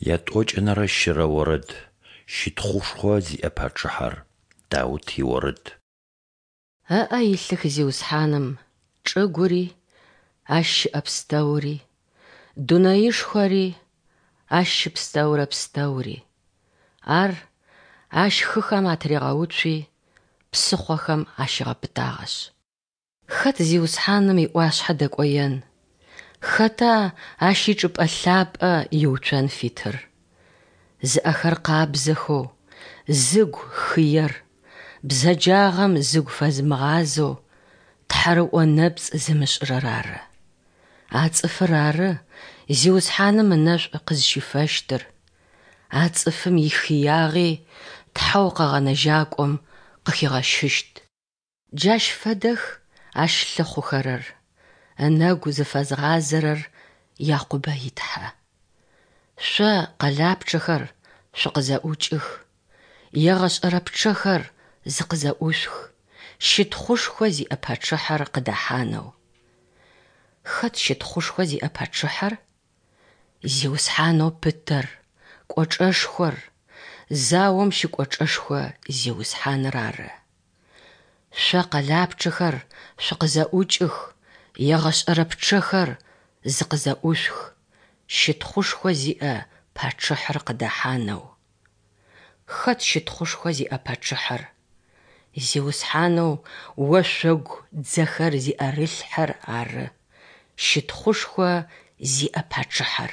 Ятӏокӏэнэрэ щырэ орэд. Щытхъушхо зиӏэ пачъыхьэр. Даут иорэд. Ыӏэ илъых Зиусхьаным чӏыгури, ащ щыӏэ пстэури, дунэешхори, ащ щыпсэурэ пстэури. Ар Ащ хыхэм атыригъэуцуи, псыхъохэм ащигъэпытагъэшъ. Хэт Зиусхьаным иӏуашъхьэ дэкӏоен, хэта Ащ ичӏыпӏэ лъапӏэ иуцон фитыр? Зыӏэхэр къабзэхэу, зыгу хыер, бзэджагъэм зыгу фэзымыгъазэу, тхьэрыӏо нэпцӏ зымышӏырэр ары. А цӏыфыр ары Зиусхьаным ынэшӏу къызщифэщтыр, а цӏыфым ихыягъи Тхьэу Къэгъэнэжьакӏом къыхигъэщыщт. Джащ фэдэх Ащ лъыхъухэрэр, ынэгу зыфэзгъазэрэр Якъубэ и Тхьэ. Шъо, къэлапчъэхэр, шъукъызэӏукӏых, егъэшӏэрэ пчъэхэр зыкъызэӏушъух, щытхъушхо зиӏэ пачъыхьэр къыдэхьанэу. Хэт щытхъушхо зиӏэ пачъыхьэр? Зиусхьанэу пытэр, кӏочӏэшхор, заом щыкӏочӏэшхо Зиусхьаныр ары. Шъо къэлапчъэхэр шъукъызэӏукӏых, егъэшӏэрэ пчъэхэр зыкъызэӏушъух, щытхъушхо зиӏэ пачъыхьэр къыдэхьанэу. Хэт щытхъушхо зиӏэ пачъыхьэр? Зиусхьанэу ошъогу дзэхэр зиӏэрылъхьэр ары щытхъушхо зиӏэ пачъыхьэр.